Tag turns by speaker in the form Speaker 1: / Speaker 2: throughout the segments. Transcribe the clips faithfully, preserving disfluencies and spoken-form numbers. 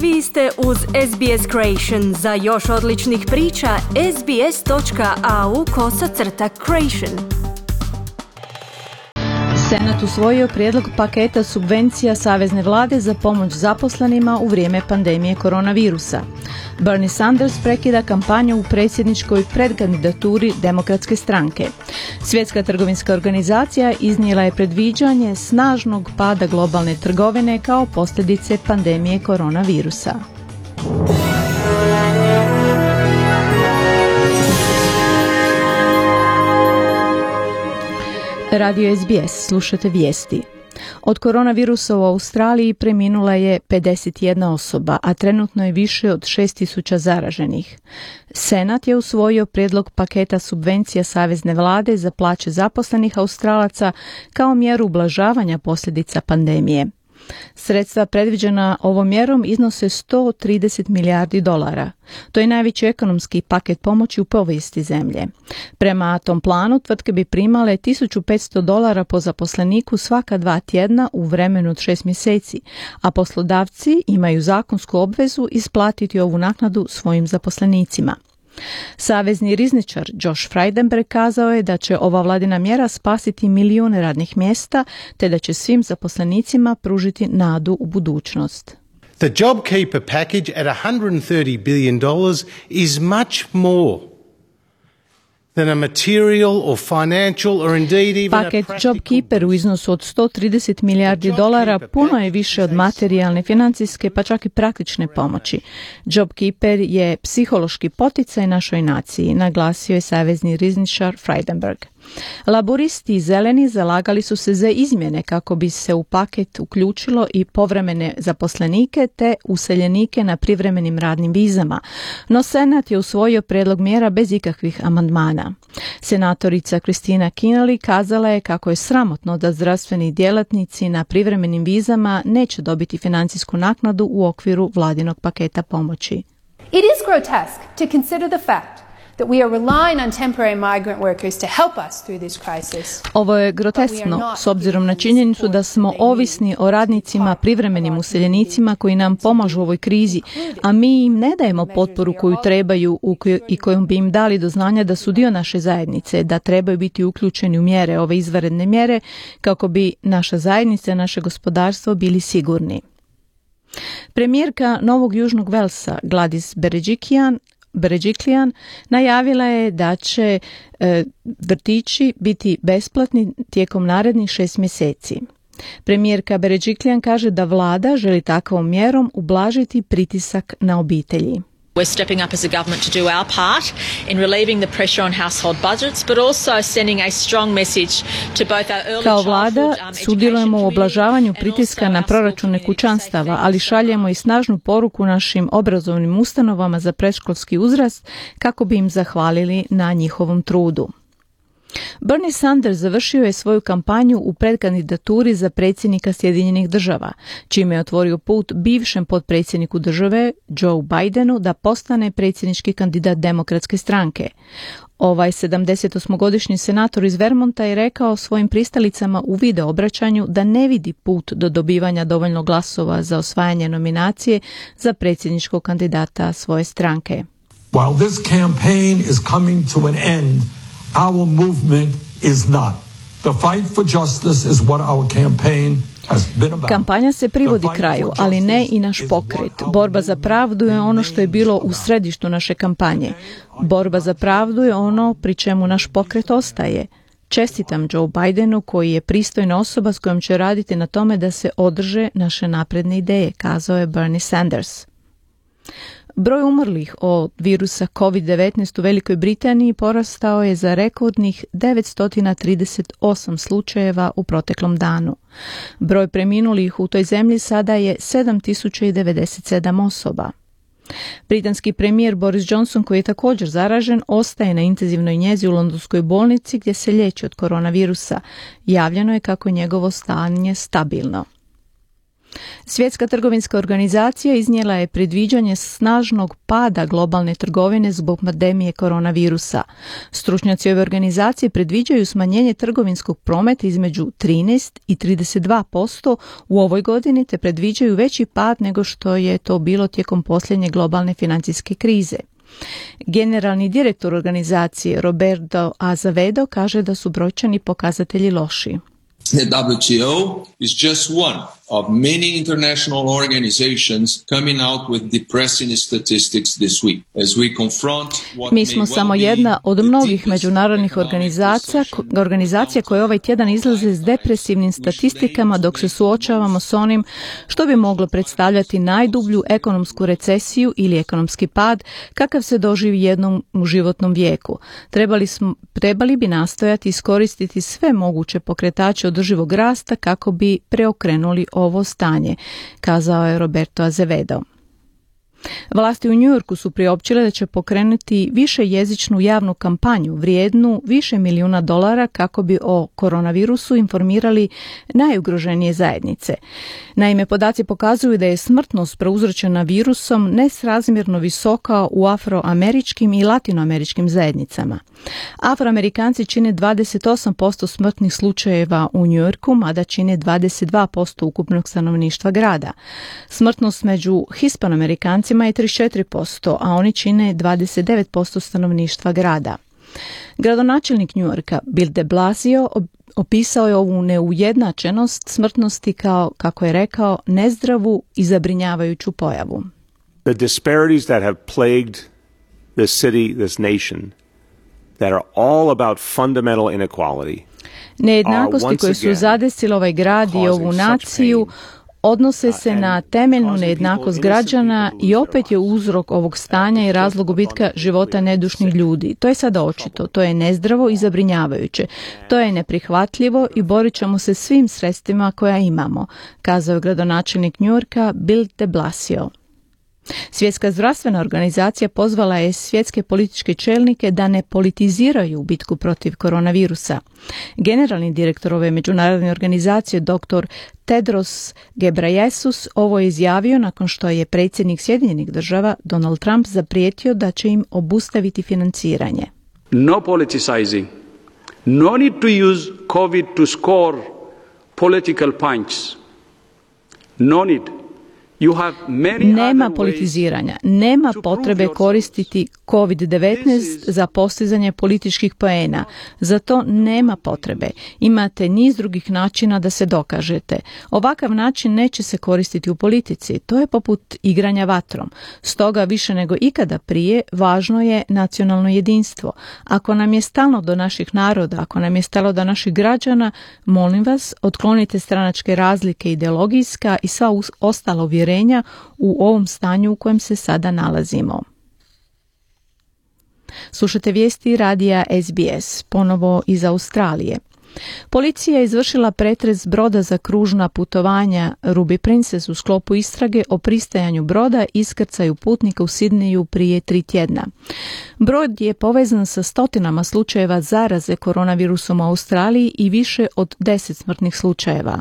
Speaker 1: Vi ste uz S B S Creation. Za još odličnih priča, sbs.au kosacrta creation.
Speaker 2: Senat usvojio prijedlog paketa subvencija savezne vlade za pomoć zaposlenima u vrijeme pandemije koronavirusa. Bernie Sanders prekida kampanju u predsjedničkoj predkandidaturi Demokratske stranke. Svjetska trgovinska organizacija iznijela je predviđanje snažnog pada globalne trgovine kao posljedice pandemije koronavirusa. Radio S B S, slušate vijesti. Od koronavirusa u Australiji preminula je pedeset jedna osoba, a trenutno je više od šest tisuća zaraženih. Senat je usvojio prijedlog paketa subvencija savezne vlade za plaće zaposlenih Australaca kao mjeru ublažavanja posljedica pandemije. Sredstva predviđena ovom mjerom iznose sto trideset milijardi dolara. To je najveći ekonomski paket pomoći u povijesti zemlje. Prema tom planu tvrtke bi primale tisuću petsto dolara po zaposleniku svaka dva tjedna u vremenu od šest mjeseci, a poslodavci imaju zakonsku obvezu isplatiti ovu naknadu svojim zaposlenicima. Savezni rizničar Josh Frydenberg kazao je da će ova vladina mjera spasiti milijune radnih mjesta, te da će svim zaposlenicima pružiti nadu u budućnost.
Speaker 3: The JobKeeper package at one hundred thirty billion dollars is much more than a material or financial or indeed even
Speaker 2: Paket JobKeeper u iznosu od sto trideset milijardi dolara puno je više od materijalne, financijske pa čak i praktične pomoći. JobKeeper je psihološki poticaj našoj naciji, naglasio je savezni rizničar Frydenberg. Laburisti i zeleni zalagali su se za izmjene kako bi se u paket uključilo i povremene zaposlenike te useljenike na privremenim radnim vizama, no Senat je usvojio prijedlog mjera bez ikakvih amandmana. Senatorica Christina Kinnally kazala je kako je sramotno da zdravstveni djelatnici na privremenim vizama neće dobiti financijsku naknadu u okviru vladinog paketa pomoći.
Speaker 4: It is grotesque to consider the fact that we are relying on temporary migrant workers to help us through this crisis.
Speaker 2: Ovo je groteskno s obzirom na činjenicu da smo ovisni o radnicima, privremenim useljenicima koji nam pomažu u ovoj krizi, a mi im ne dajemo potporu koju trebaju i kojom bi im dali do znanja da su dio naše zajednice, da trebaju biti uključeni u mjere, ove izvanredne mjere, kako bi naša zajednica i naše gospodarstvo bili sigurni. Premijerka Novog Južnog Velsa Gladys Berejiklian Berejiklian najavila je da će e, vrtići biti besplatni tijekom narednih šest mjeseci. Premijerka Berejiklian kaže da vlada želi takvom mjerom ublažiti pritisak na obitelji.
Speaker 5: We're stepping up as a government to do our part in relieving the pressure on household budgets, but also sending a strong message to both our early
Speaker 2: Kao
Speaker 5: childhood
Speaker 2: vlada sudjelujemo u oblažavanju pritiska na proračune kućanstava, ali šaljemo i snažnu poruku našim obrazovnim ustanovama za predškolski uzrast kako bi im zahvalili na njihovom trudu. Bernie Sanders završio je svoju kampanju u predkandidaturi za predsjednika Sjedinjenih država, čime je otvorio put bivšem potpredsjedniku države Joe Bidenu da postane predsjednički kandidat Demokratske stranke. Ovaj sedamdesetosmogodišnji senator iz Vermonta je rekao svojim pristalicama u video obraćanju da ne vidi put do dobivanja dovoljno glasova za osvajanje nominacije za predsjedničkog kandidata svoje stranke.
Speaker 6: While this campaign is coming to an end, our movement is not. The fight for justice is what our campaign has been about.
Speaker 2: Kampanja se privodi kraju, ali ne i naš pokret. Borba za pravdu je ono što je bilo u središtu naše kampanje. Borba za pravdu je ono pri čemu naš pokret ostaje. Čestitam Joe Bidenu koji je pristojna osoba s kojom će raditi na tome da se održe naše napredne ideje, kazao je Bernie Sanders. Broj umrlih od virusa covid devetnaest u Velikoj Britaniji porastao je za rekordnih devetsto trideset osam slučajeva u proteklom danu. Broj preminulih u toj zemlji sada je sedam tisuća devedeset sedam osoba. Britanski premijer Boris Johnson, koji je također zaražen, ostaje na intenzivnoj njezi u londonskoj bolnici gdje se liječi od koronavirusa. Javljeno je kako je njegovo stanje stabilno. Svjetska trgovinska organizacija iznijela je predviđanje snažnog pada globalne trgovine zbog pandemije koronavirusa. Stručnjaci ove organizacije predviđaju smanjenje trgovinskog prometa između trinaest i trideset dva posto u ovoj godini, te predviđaju veći pad nego što je to bilo tijekom posljednje globalne financijske krize. Generalni direktor organizacije Roberto Azevedo kaže da su brojčani pokazatelji loši.
Speaker 7: The W T O is just one of many international organizations coming out with depressing statistics this week as we confront what
Speaker 2: Mi smo
Speaker 7: may
Speaker 2: samo
Speaker 7: well be
Speaker 2: jedna od
Speaker 7: the
Speaker 2: mnogih
Speaker 7: deepest
Speaker 2: međunarodnih
Speaker 7: economic
Speaker 2: organizacija,
Speaker 7: recession
Speaker 2: organizacija koje ovaj tjedan izlaze s depresivnim statistikama dok se suočavamo s onim što bi moglo predstavljati najdublju ekonomsku recesiju ili ekonomski pad kakav se doživi jednom u životnom vijeku. Trebali, smo, trebali bi nastojati iskoristiti sve moguće pokretače održivog rasta kako bi preokrenuli ovo stanje, kazao je Roberto Azevedo. Vlasti u Njujorku su priopćile da će pokrenuti višejezičnu javnu kampanju vrijednu više milijuna dolara kako bi o koronavirusu informirali najugroženije zajednice. Naime, podaci pokazuju da je smrtnost prouzročena virusom nesrazmjerno visoka u afroameričkim i latinoameričkim zajednicama. Afroamerikanci čine dvadeset osam posto smrtnih slučajeva u Njujorku, mada čine dvadeset dva posto ukupnog stanovništva grada. Smrtnost među Hispanoamerikancima je trideset četiri posto, a oni čine dvadeset devet posto stanovništva grada. Gradonačelnik Njujorka Bill de Blasio opisao je ovu neujednačenost smrtnosti kao, kako je rekao, nezdravu i zabrinjavajuću pojavu.
Speaker 8: The disparities that have plagued this city, this nation, that are all about fundamental inequality.
Speaker 2: Nejednakosti koje su zadesile ovaj grad i ovu naciju odnose se na temeljnu nejednakost građana i opet je uzrok ovog stanja i razlog gubitka života nedušnih ljudi. To je sada očito, to je nezdravo i zabrinjavajuće. To je neprihvatljivo i borit ćemo se svim sredstvima koja imamo, kazao je gradonačelnik Njujorka Bill de Blasio. Svjetska zdravstvena organizacija pozvala je svjetske političke čelnike da ne politiziraju bitku protiv koronavirusa. Generalni direktor ove međunarodne organizacije dr. Tedros Ghebreyesus ovo je izjavio nakon što je predsjednik Sjedinjenih država Donald Trump zaprijetio da će im obustaviti financiranje.
Speaker 9: No politicizing. No need to use COVID to score political points. No need.
Speaker 2: Nema politiziranja, nema potrebe koristiti kovid devetnaest za postizanje političkih poena. Za to nema potrebe. Imate niz drugih načina da se dokažete. Ovakav način neće se koristiti u politici. To je poput igranja vatrom. Stoga više nego ikada prije važno je nacionalno jedinstvo. Ako nam je stalo do naših naroda, ako nam je stalo do naših građana, molim vas, otklonite stranačke razlike ideologijska i sva ostala uvjerenja u ovom stanju u kojem se sada nalazimo. Slušate vijesti radija S B S, ponovo iz Australije. Policija je izvršila pretres broda za kružna putovanja Ruby Princess u sklopu istrage o pristajanju broda i iskrcaju putnika u Sidneju prije tri tjedna. Brod je povezan sa stotinama slučajeva zaraze koronavirusom u Australiji i više od deset smrtnih slučajeva.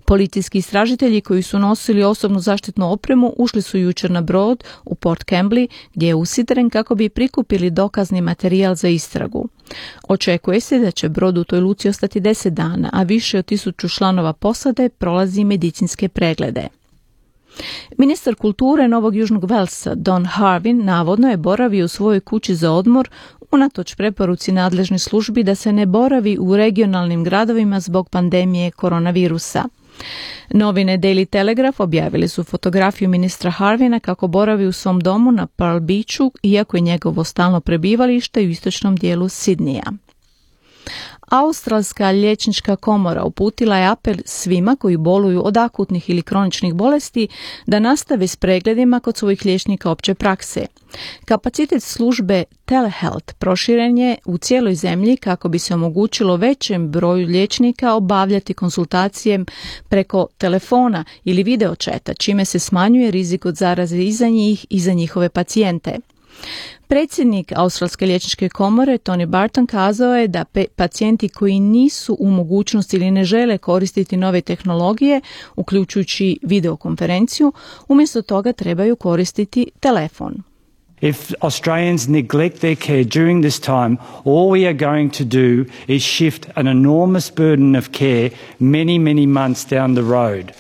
Speaker 2: Policijski istražitelji koji su nosili osobnu zaštitnu opremu ušli su jučer na brod u Port Kembly gdje je usidren kako bi prikupili dokazni materijal za istragu. Očekuje se da će brod u toj luci ostati deset dana, a više od tisuću članova posade prolazi medicinske preglede. Ministar kulture Novog Južnog Velsa Don Harvin navodno je boravio u svojoj kući za odmor unatoč preporuci nadležnih službi da se ne boravi u regionalnim gradovima zbog pandemije koronavirusa. Novine Daily Telegraph objavili su fotografiju ministra Harvina kako boravi u svom domu na Pearl Beachu, iako je njegovo stalno prebivalište u istočnom dijelu Sidneja. Australska liječnička komora uputila je apel svima koji boluju od akutnih ili kroničnih bolesti da nastave s pregledima kod svojih liječnika opće prakse. Kapacitet službe Telehealth proširen je u cijeloj zemlji kako bi se omogućilo većem broju liječnika obavljati konsultacije preko telefona ili videočeta, čime se smanjuje rizik od zaraze i za njih i za njihove pacijente. Predsjednik Australske liječničke komore Tony Barton kazao je da pe- pacijenti koji nisu u mogućnosti ili ne žele koristiti nove tehnologije, uključujući videokonferenciju, umjesto toga trebaju koristiti telefon.
Speaker 10: If Australians neglect their care during this time, all we are going to do is shift an enormous burden of care many, many months down the road.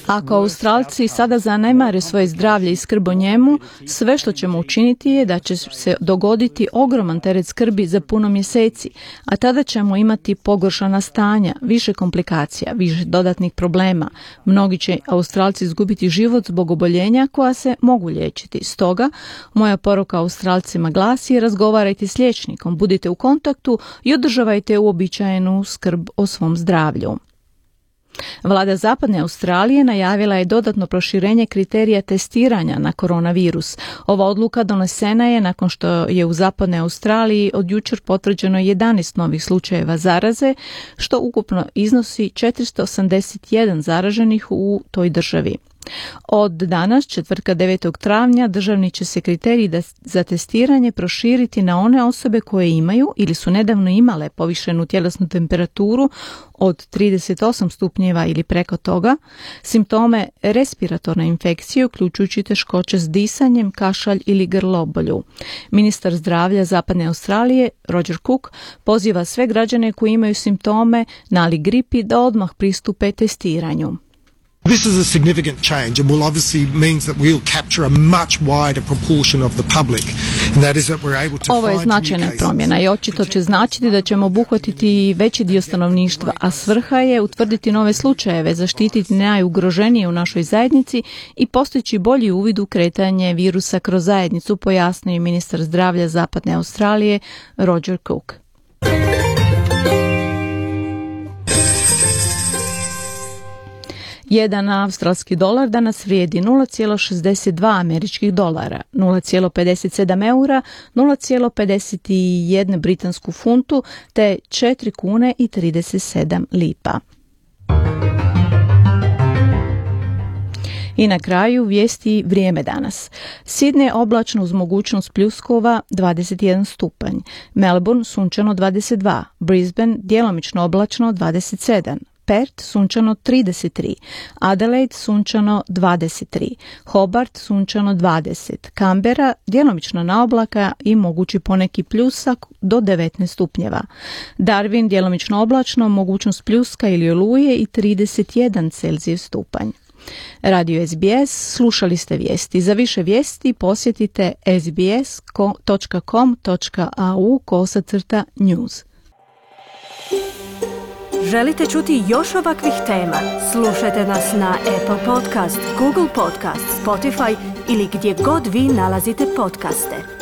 Speaker 2: Ako Australci sada zanemare svoje zdravlje i skrb o njemu, sve što ćemo učiniti je da će se dogoditi ogroman teret skrbi za puno mjeseci, a tada ćemo imati pogoršana stanja, više komplikacija, više dodatnih problema. Mnogi će Australci izgubiti život zbog oboljenja koja se mogu liječiti. Stoga, moja poruka Australcima glasi: razgovarajte s liječnikom, budite u kontaktu i održavajte uobičajenu skrb o svom zdravlju. Vlada Zapadne Australije najavila je dodatno proširenje kriterija testiranja na koronavirus. Ova odluka donesena je nakon što je u Zapadnoj Australiji od jučer potvrđeno jedanaest novih slučajeva zaraze, što ukupno iznosi četiristo osamdeset jedan zaraženih u toj državi. Od danas, četvrtka devetog travnja, državni će se kriteriji za testiranje proširiti na one osobe koje imaju ili su nedavno imale povišenu tjelesnu temperaturu od trideset osam stupnjeva ili preko toga, simptome respiratorne infekcije, uključujući teškoće s disanjem, kašalj ili grlobolju. Ministar zdravlja Zapadne Australije, Roger Cook, poziva sve građane koji imaju simptome nali gripi da odmah pristupe testiranju.
Speaker 11: This is a significant change and will obviously means that we'll capture a much wider proportion of the public. And that is that we're able to
Speaker 2: Ovo je značajna promjena i očito će značiti da ćemo obuhvatiti veći dio stanovništva, a svrha je utvrditi nove slučajeve, zaštititi najugroženije u našoj zajednici i postići bolji uvid u kretanje virusa kroz zajednicu, pojasnio je ministar zdravlja Zapadne Australije Roger Cook. Jedan australski dolar danas vrijedi nula zarez šezdeset dva američkih dolara, nula zarez pedeset sedam eura, nula zarez pedeset jedan britansku funtu te četiri kune i trideset sedam lipa. I na kraju vijesti vrijeme danas. Sidney oblačno uz mogućnost pljuskova dvadeset jedan stupanj, Melbourne sunčano dvadeset dva, Brisbane djelomično oblačno dvadeset sedam, Perth sunčano trideset tri, Adelaide sunčano dvadeset tri, Hobart sunčano dvadeset, Canberra djelomično na oblaka i mogući poneki pljusak do devetnaest stupnjeva, Darwin djelomično oblačno, mogućnost pljuska ili oluje i trideset jedan Celzijев stupanj. Radio S B S, slušali ste vijesti. Za više vijesti posjetite sbs dot com dot a u kosacrta news.
Speaker 1: Želite čuti još ovakvih tema? Slušajte nas na Apple Podcast, Google Podcast, Spotify ili gdje god vi nalazite podcaste.